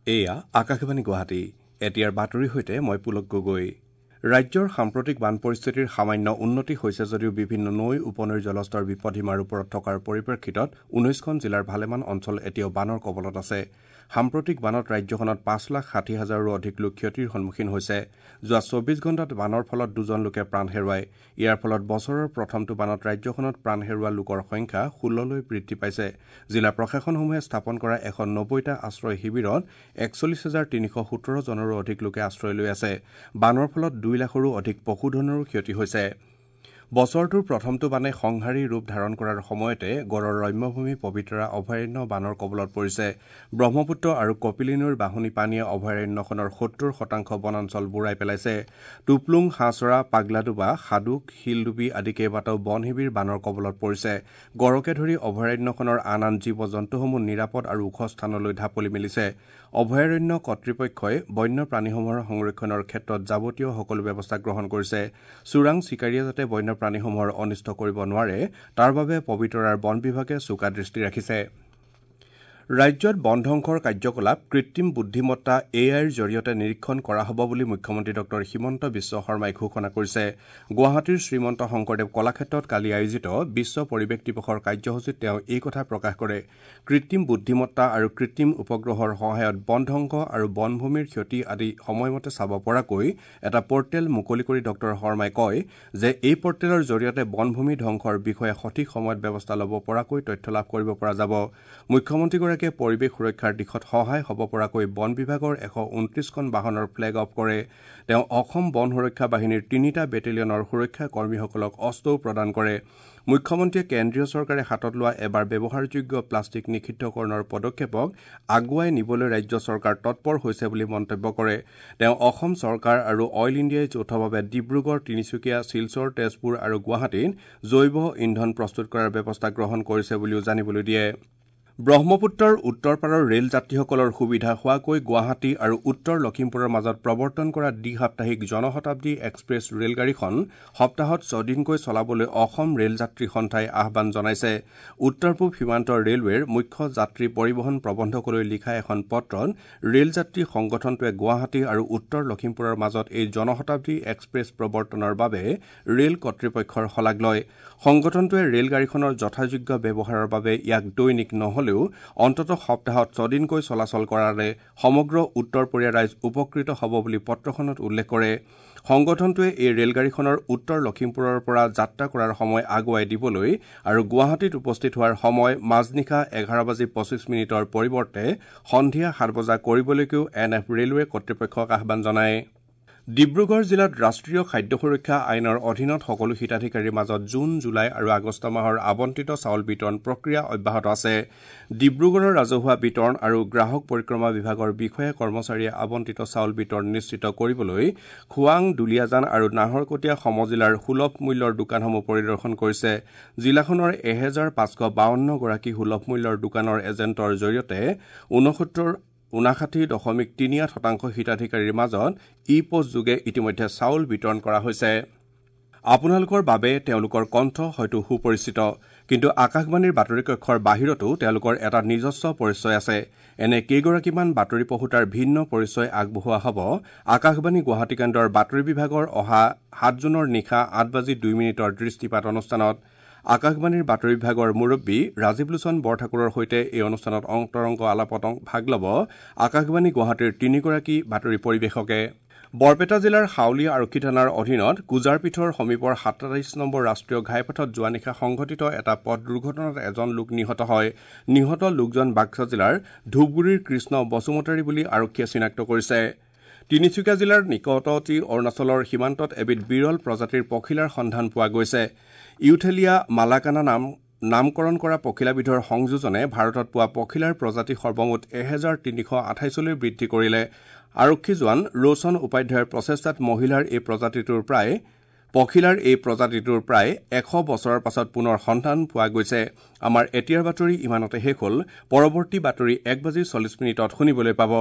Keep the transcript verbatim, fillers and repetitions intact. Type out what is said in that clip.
এয়া আকাশবাণী গুৱাহাটী। এতিয়াৰ বাতৰিৰ সৈতে মই পুলক গগৈ। ৰাজ্যৰ সাম্প্ৰতিক বান পৰিস্থিতিৰ সামান্য উন্নতি হৈছে যদিও বিভিন্ন নৈ উপনৈৰ জলস্তৰ বিপদসীমাৰ ওপৰত থকাৰ পৰিপ্ৰেক্ষিতত ঊনৈশখন জিলাৰ ভালেমান অঞ্চল এতিয়াও বানৰ কবলত আছে। সাম্প্ৰতিক বানত ৰাজ্যখনত পাঁচ লাখ ষাঠি হাজাৰৰো অধিক লোক ক্ষতিৰ সন্মুখীন হৈছে। যোৱা চৌবিশ ঘণ্টাত বানৰ ফলত দুজন লোকে প্ৰাণ হেৰুৱায়। ইয়াৰ ফলত বছৰৰ প্ৰথমটো বানত ৰাজ্যখনত প্ৰাণ হেৰুওৱা লোকৰ সংখ্যা ষোল্ললৈ বৃদ্ধি পাইছে। জিলা প্ৰশাসনসমূহে স্থাপন কৰা এশ নব্বৈটা আশ্ৰয় শিবিৰত একচল্লিছ হাজাৰ তিনিশ সোতৰ জনৰো অধিক লোকে আশ্ৰয় লৈ আছে। বানৰ ফলত দুই লাখৰো অধিক পশুধনৰো ক্ষতি হৈছে। বছৰটোৰ প্ৰথমটো বানে সংহাৰী ৰূপ ধাৰণ কৰাৰ সময়তে গড়ৰ ৰম্যভূমি পবিতৰা অভয়াৰণ্য বানৰ কবলত পৰিছে। ব্ৰহ্মপুত্ৰ আৰু কপিলী নৈৰ বাঢ়নী পানীয়ে অভয়াৰণ্যখনৰ সত্তৰ শতাংশ বনাঞ্চল বুৰাই পেলাইছে। টুপলুং, হাঁহচৰা, পাগলাডোবা, সাদুক, শিলডুবি আদি কেইবাটাও বন শিবিৰ বানৰ কবলত পৰিছে। গড়কে ধৰি অভয়াৰণ্যখনৰ আন আন জীৱ জন্তুসমূহ নিৰাপদ আৰু ওখ স্থানলৈ ঢাপলি মেলিছে। অভয়াৰণ্য কৰ্তৃপক্ষই বন্যপ্ৰাণীসমূহৰ সংৰক্ষণৰ ক্ষেত্ৰত যাৱতীয় সকলো ব্যৱস্থা গ্ৰহণ কৰিছে। চোৰাং চিকাৰীয়ে যাতে বন্য প্ৰাণীসমূহৰ অনিষ্ট কৰিব নোৱাৰে তাৰ বাবে পবিতৰাৰ বন বিভাগে চোকা দৃষ্টি ৰাখিছে। ৰাজ্যত বন ধ্বংসৰ কাৰ্যকলাপ কৃত্ৰিম বুদ্ধিমত্তা এ আইৰ জৰিয়তে নিৰীক্ষণ কৰা হ'ব বুলি মুখ্যমন্ত্ৰী ডঃ হিমন্ত বিশ্ব শৰ্মাই ঘোষণা কৰিছে। গুৱাহাটীৰ শ্ৰীমন্ত শংকৰদেৱ কলাক্ষেত্ৰত কালি আয়োজিত বিশ্ব পৰিৱেশ দিৱসৰ কাৰ্যসূচীত তেওঁ এই কথা প্ৰকাশ কৰে। কৃত্ৰিম বুদ্ধিমত্তা আৰু কৃত্ৰিম উপগ্ৰহৰ সহায়ত বন ধ্বংস আৰু বনভূমিৰ ক্ষতি আদি সময়মতে চাব পৰাকৈ এটা পৰ্টেল মুকলি কৰি ডঃ শৰ্মাই কয় যে এই পৰ্টেলৰ জৰিয়তে বনভূমি ধ্বংসৰ বিষয়ে সঠিক সময়ত ব্যৱস্থা ল'ব পৰাকৈ তথ্য লাভ কৰিব পৰা যাব। মুখ্যমন্ত্ৰীগৰাকীয়ে পৰিৱেশ সুৰক্ষাৰ দিশত সহায় হ'ব পৰাকৈ বন বিভাগৰ এশ ঊনত্ৰিশখন বাহনৰ ফ্লেগ অফ কৰে। তেওঁ অসম বন সুৰক্ষা বাহিনীৰ তিনিটা বেটেলিয়নৰ সুৰক্ষা কৰ্মীসকলক অস্ত্ৰও প্ৰদান কৰে। মুখ্যমন্ত্ৰীয়ে কেন্দ্ৰীয় চৰকাৰে হাতত লোৱা এবাৰ ব্যৱহাৰযোগ্য প্লাষ্টিক নিষিদ্ধকৰণৰ পদক্ষেপক আগুৱাই নিবলৈ ৰাজ্য চৰকাৰ তৎপৰ হৈছে বুলি মন্তব্য কৰে। তেওঁ অসম চৰকাৰ আৰু অইল ইণ্ডিয়াই যৌথভাৱে ডিব্ৰুগড়, তিনিচুকীয়া, শিলচৰ, তেজপুৰ আৰু গুৱাহাটীত জৈৱ ইন্ধন প্ৰস্তুত কৰাৰ ব্যৱস্থা গ্ৰহণ কৰিছে বুলিও জানিবলৈ দিয়ে। ব্ৰহ্মপুত্ৰৰ উত্তৰ পাৰৰ ৰেল যাত্ৰীসকলৰ সুবিধা হোৱাকৈ গুৱাহাটী আৰু উত্তৰ লখিমপুৰৰ মাজত প্ৰৱৰ্তন কৰা দ্বি সাপ্তাহিক জনশতাব্দী এক্সপ্ৰেছ ৰেলগাড়ীখন সপ্তাহত ছদিনকৈ চলাবলৈ অসম ৰেল যাত্ৰী সন্থাই আহ্বান জনাইছে। উত্তৰ পূব সীমান্ত ৰেলৱেৰ মুখ্য যাত্ৰী পৰিবহণ প্ৰবন্ধকলৈ লিখা এখন পত্ৰত ৰেল যাত্ৰী সংগঠনটোৱে গুৱাহাটী আৰু উত্তৰ লখিমপুৰৰ মাজত এই জনশতাব্দী এক্সপ্ৰেছ প্ৰৱৰ্তনৰ বাবে ৰেল কৰ্তৃপক্ষৰ শলাগ লয়। সংগঠনটোৱে ৰেলগাড়ীখনৰ যথাযোগ্য ব্যৱহাৰৰ বাবে ইয়াক দৈনিক নহ'লে অন্ততঃ সপ্তাহত ছদিনকৈ চলাচল কৰাৰে সমগ্ৰ উত্তৰপৰীয়া ৰাইজ উপকৃত হ'ব বুলি পত্ৰখনত উল্লেখ কৰে। সংগঠনটোৱে এই ৰেলগাড়ীখনৰ উত্তৰ লখিমপুৰৰ পৰা যাত্ৰা কৰাৰ সময় আগুৱাই দিবলৈ আৰু গুৱাহাটীত উপস্থিত হোৱাৰ সময় মাজনিশা এঘাৰ বাজি পঁচিছ মিনিটৰ পৰিৱৰ্তে সন্ধিয়া সাত বজা কৰিবলৈকো এন এফ ৰেলৱে কৰ্তৃপক্ষক আহ্বান জনায়। ডিব্ৰুগড় জিলাত ৰাষ্ট্ৰীয় খাদ্য সুৰক্ষা আইনৰ অধীনত সকলো হিতাধিকাৰীৰ মাজত জুন, জুলাই আৰু আগষ্ট মাহৰ আবণ্টিত চাউল বিতৰণ প্ৰক্ৰিয়া অব্যাহত আছে। ডিব্ৰুগড়ৰ ৰাজহুৱা বিতৰণ আৰু গ্ৰাহক পৰিক্ৰমা বিভাগৰ বিষয়া কৰ্মচাৰীয়ে আবণ্টিত চাউল বিতৰণ নিশ্চিত কৰিবলৈ খোৱাং, দুলীয়াজান আৰু নাহৰকটীয়া সমজিলাৰ সুলভ মূল্যৰ দোকানসমূহ পৰিদৰ্শন কৰিছে। জিলাখনৰ এহেজাৰ পাঁচশ বাৱন্নগৰাকী সুলভ মূল্যৰ দোকানৰ এজেণ্টৰ জৰিয়তে ঊনসত্তৰ ঊনাষাঠি দশমিক তিনি আঠ শতাংশ হিতাধিকাৰীৰ মাজত ই পোষ্ট যোগে ইতিমধ্যে চাউল বিতৰণ কৰা হৈছে। আপোনালোকৰ বাবে তেওঁলোকৰ কণ্ঠ হয়তো সুপৰিচিত, কিন্তু আকাশবাণীৰ বাতৰি কক্ষৰ বাহিৰতো তেওঁলোকৰ এটা নিজস্ব পৰিচয় আছে। এনে কেইগৰাকীমান বাতৰি পঢ়োতাৰ ভিন্ন পৰিচয় আগবঢ়োৱা হ'ব আকাশবাণী গুৱাহাটী কেন্দ্ৰৰ বাতৰি বিভাগৰ অহা সাত জুনৰ নিশা আঠ বাজি দুই মিনিটৰ দৃষ্টিপাত অনুষ্ঠানত। আকাশবাণীৰ বাতৰি বিভাগৰ মুৰব্বী ৰাজীৱ লোচন বৰঠাকুৰৰ সৈতে এই অনুষ্ঠানত অন্তৰংগ আলাপত ভাগ ল'ব আকাশবাণী গুৱাহাটীৰ তিনিগৰাকী বাতৰি পৰিৱেশকে। বৰপেটা জিলাৰ হাউলী আৰক্ষী থানাৰ অধীনত কুজাৰপীঠৰ সমীপৰ সাতাইছ নম্বৰ ৰাষ্ট্ৰীয় ঘাইপথত যোৱা নিশা সংঘটিত এটা পথ দুৰ্ঘটনাত এজন লোক নিহত হয়। নিহত লোকজন বাক্সা জিলাৰ ধূপগুৰিৰ কৃষ্ণ বসুমতাৰী বুলি আৰক্ষীয়ে চিনাক্ত কৰিছে। তিনিচুকীয়া জিলাৰ নিকটৱৰ্তী অৰুণাচলৰ সীমান্তত এবিধ বিৰল প্ৰজাতিৰ পখিলাৰ সন্ধান পোৱা গৈছে। ইউথেলিয়া মালাকানা নাম নামকৰণ কৰা পখিলাবিধৰ সংযোজনে ভাৰতত পোৱা পখিলাৰ প্ৰজাতি সৰ্বমুঠ এহেজাৰ তিনিশ আঠাইছলৈ বৃদ্ধি কৰিলে। আৰক্ষী জোৱান ৰোশন উপাধ্যায়ৰ প্ৰচেষ্টাত মহিলাৰ এই প্ৰজাতিটোৰ প্ৰায় পখিলাৰ এই প্ৰজাতিটোৰ প্ৰায় এশ বছৰৰ পাছত পুনৰ সন্ধান পোৱা গৈছে। আমাৰ এতিয়াৰ বাতৰি ইমানতে শেষ হ'ল। পৰৱৰ্তী বাতৰি এক বাজি চল্লিছ মিনিটত শুনিবলৈ পাব।